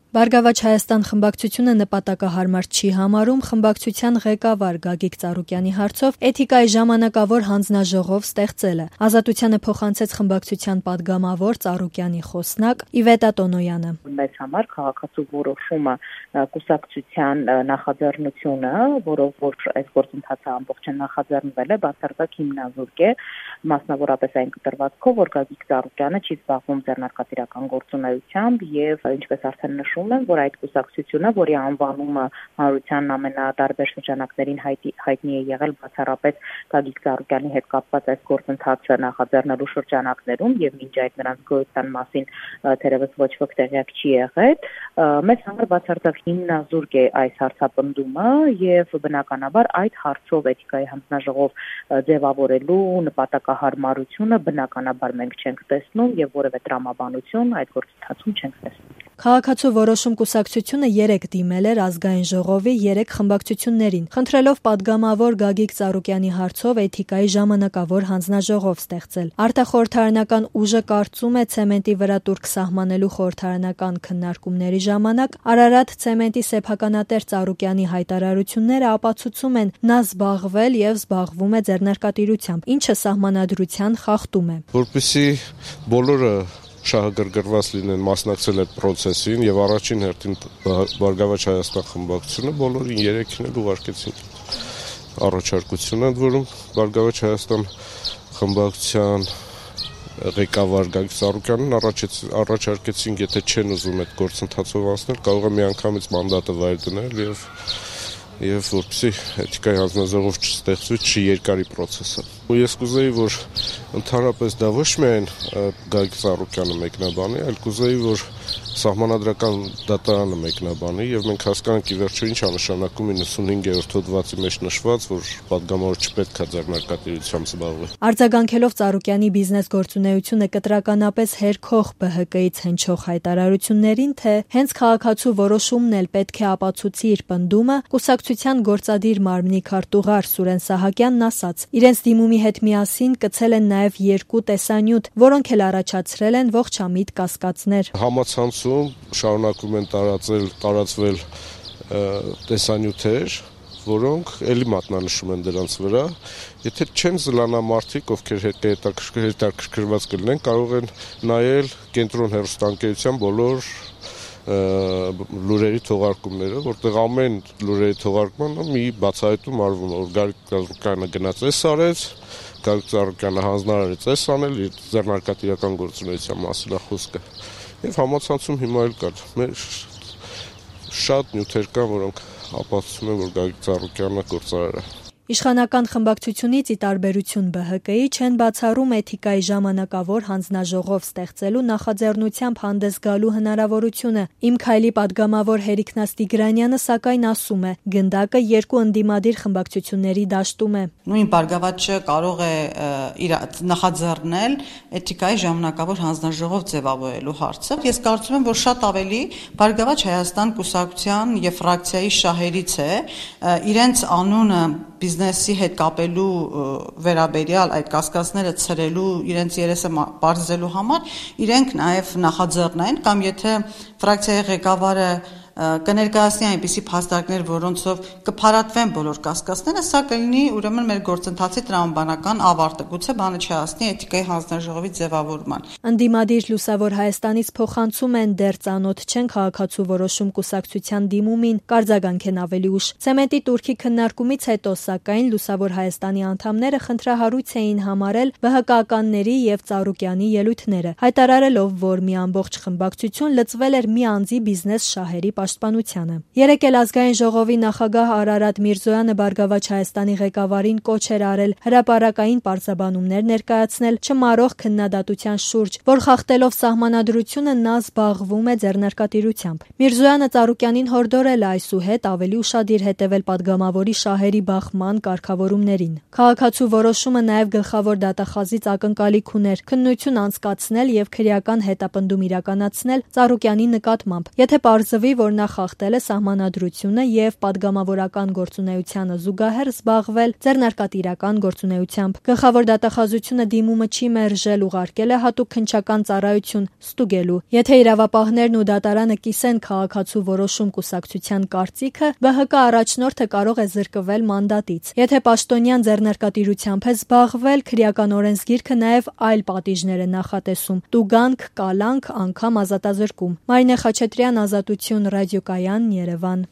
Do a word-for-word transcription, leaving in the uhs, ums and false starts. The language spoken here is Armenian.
Բարգավաճ Հայաստան խմբակցությունը նպատակահարմար չի համարում խմբակցության ղեկավար Գագիկ Ծառուկյանի հարցով էթիկայի ժամանակավոր հանձնաժողով ստեղծելը։ Ազատությանը փոխանցեց խմբակցության падգամավոր Ծառուկյանի խոսնակ Իվետա Տոնոյանը։ Մեծ համար քաղաքացու որոշումը կուսակցության նախաձեռնությունը, որով որ այս գործընթացը ամբողջը նախաձեռնվել է, բացարձակ հիմնազուրկ է, մասնավորապես այն կտրվածքով, որ Գագիկ Ծառուկյանը չի զբաղվում ձեռնարկատիրական գործունեությամբ եւ ինչպես արդեն նշում եմ, որ այդ կուսակցությունը, որի անվանումը հանրության ամենատարբեր շրջանակներին հայտնի է եղել բացառապես Գագիկ Ծառուկյանի հետ կապված այս գործընթացը նախաձեռնելու շրջանակներում եւ մինչ այդ նրանց գոյության մասին թերևս ոչ ոք տեղյակ չի եղել, մեծ համար բացարձակ հիմնազուրկ է այս հարցապնդումը եւ բնականաբար այդ հարցով էթիկայի հանձնաժողով ձևավորելու նպատակահարմարությունը բնականաբար մենք չենք տեսնում եւ որևէ տրամաբանություն այդ գործընթացում չենք տեսնում։ Քաղաքացու որոշում կուսակցությունը երեք դիմել էր ազգային ժողովի երեք խմբակցություններին, խնդրելով падգամավոր Գագիկ Ծառուկյանի հարցով էթիկայի ժամանակավոր հանձնաժողով ստեղծել։ Արտախորհրդարանական ուժը կարծում է ցեմենտի վրա տուրք սահմանելու խորհրդարանական քննարկումների ժամանակ Արարատ ցեմենտի սեփականատեր Ծառուկյանի հայտարարությունները ապացուցում են նա զբաղվել եւ զբաղվում է ձեռնարկատիրությամբ, ինչը սահմանադրության խախտում է։ Որպեսզի բոլորը շահագրգռված լինեն մասնակցել այդ process-ին եւ առաջին հերթին Բարգավաճ Հայաստան խմբակցությունը բոլորին երեքին էլ ուղարկեցին առաջարկություն, ընդ որում Բարգավաճ Հայաստան խմբակցության ղեկավար Գագիկ Ծառուկյանին առաջարկեցին, եթե չեն ուզում այդ գործընթացով անցնել, կարող է միանգամից մանդատը վայր դնել եւ եւ որպեսզի էթիկայի հանձնաժողով չստեղծվի, չի երկարի process-ը։ Ու ես կուզեի, որ ընդհանրապես դա ոչ միայն Գագիկ Ծառուկյանը մեկնաբանի, այլ կուզեի, որ Սահմանադրական դատարանը մեկնաբանի եւ մենք հասկանանք ի վերջո ինչ է նշանակում իննսունհինգերորդ հոդվածի մեջ նշված, որ падգամավոր չպետք է ձեռնարկատիրությամբ զբաղվի։ Արձագանքելով Ծառուկյանի բիզնես գործունեությունը կտրականապես հերքող Բ Հ Կ-ից հնչող հայտարարություններին, թե հենց քաղաքացու որոշումն էլ պետք է ապացուցի իր պնդումը, կուսակցության գործադիր մարմնի քարտուղար Սուրեն Սահակյանն ասաց. իրենց դիմումի հետ միասին կցել են նաեւ երկու տեսանյութ, որոնք էլ առաջացրել են ողջամիտ կասկածներ։ Համացանցում շարունակում են տարածել, տարածվել տեսանյութեր, որոնք էլի մատնանշում են դրանց վրա, եթե չեն զլանա մարդիկ, ովքեր հետաքրքրված կլինեն, կարող են նայել կենտրոն հեռուստաընկերության բոլոր լուրերի թողարկումները, որտեղ ամեն լուրերի թողարկմանը մի բացահայտում արվում է, որ Գագիկ Ծառուկյանը գնաց էս արեց, Գագիկ Ծառուկյանը հանձնարարեց էս անել, ձեռնարկատիրական գործունեության մասին է խոսքը։ Եվ համացանցում հիմա էլ կար։ Մեր շատ նյութեր կան, որոնք ապացուցում են, որ Գագիկ Ծառուկյանը գործարար է։ Իշխանական խմբակցությունից ի տարբերություն Բ Հ Կ-ի չեն բացառում էթիկայի ժամանակավոր հանձնաժողով ստեղծելու նախաձեռնությամբ հանդես գալու հնարավորությունը։ Իմ քայլի падգամավոր Հերիքնաց Տիգրանյանը սակայն ասում է, գնդակը երկու ընդդիմադիր խմբակցությունների դաշտում է։ Նույն Բարգավաճը կարող է իր նախաձեռնել էթիկայի ժամանակավոր հանձնաժողով ձևավորելու հարցը։ Ես կարծում եմ, որ շատ ավելի Բարգավաճ Հայաստան կուսակցության եւ ֆրակցիայի շահերից է իրենց անունը բիզնեսի հետ կապելու վերաբերյալ այդ կասկածները ցրելու, իրենց երեսը բարձրելու համար իրենք նաև նախաձեռնային կամ եթե ֆրակցիայի ղեկավարը կներկայացնի այնպիսի փաստարկներ, որոնցով կփարատվեն բոլոր կասկածները, սա կլինի ուրեմն մեր գործընթացի տրամաբանական ավարտը, գուցե բանը չհասնի էթիկայի հանձնաժողովի ձևավորման։ Ընդդիմադիր Լուսավոր Հայաստանից փոխանցում են դեռ ծանոթ չեն քաղաքացու որոշում կուսակցության դիմումին, կարձագանք են ավելի ուշ։ Ցեմենտի տուրքի քննարկումից հետո, սակայն Լուսավոր Հայաստանի անդամները խնդրահարույց էին համարել Բ Հ Կ-ականների եւ Ծառուկյանի ելույթները, հայտարարելով, որ մի ամբողջ խմբակցություն լծվել էր մի անձի բիզնես շահերի պաշտպանությանը։ Երեկ էլ ազգային ժողովի նախագահ Արարատ Միրզոյանը Բարգավաճ Հայաստանի ղեկավարին կոչ էր արել հրապարակային պարզաբանումներ ներկայացնել չմարող քննադատության շուրջ, որ խախտելով սահմանադրությունը նա զբաղվում է ձեռնարկատիրությամբ։ Միրզոյանը Ծառուկյանին հորդորել է այսուհետ ավելի ուշադիր հետևել падգամավորի շահերի բախման կարգավորումներին։ Քաղաքացու որոշումը նաև գլխավոր դատախազից ակնկալիք ուներ քննություն անցկացնել եւ քրեական հետապնդում իրականացնել Ծառուկյանի նկատմամբ։ Եթե պարզվի, որ նա խախտել է սահմանադրությունը եւ պատգամավորական գործունեությանը զուգահեռ զբաղվել ձեռնարկատիրական գործունեությամբ։ Գլխավոր դատախազությունը դիմումը չի մերժել, ուղարկել է հատուկ քննչական ծառայություն ստուգելու։ Եթե իրավապահներն ու դատարանը կիսեն քաղաքացու որոշում կուսակցության կարծիքը, Բ Հ Կ առաջնորդը կարող է զրկվել մանդատից։ Եթե պաշտոնյան ձեռնարկատիրությամբ է զբաղվել, քրեական օրենսգիրքը նաև այլ պատիժներ է նախատեսում՝ տուգանք, կալանք, անգամ ազատազրկում։ Մարինե Խաչատրյան, Ազատություն, Ռադիոկայան, Երևան։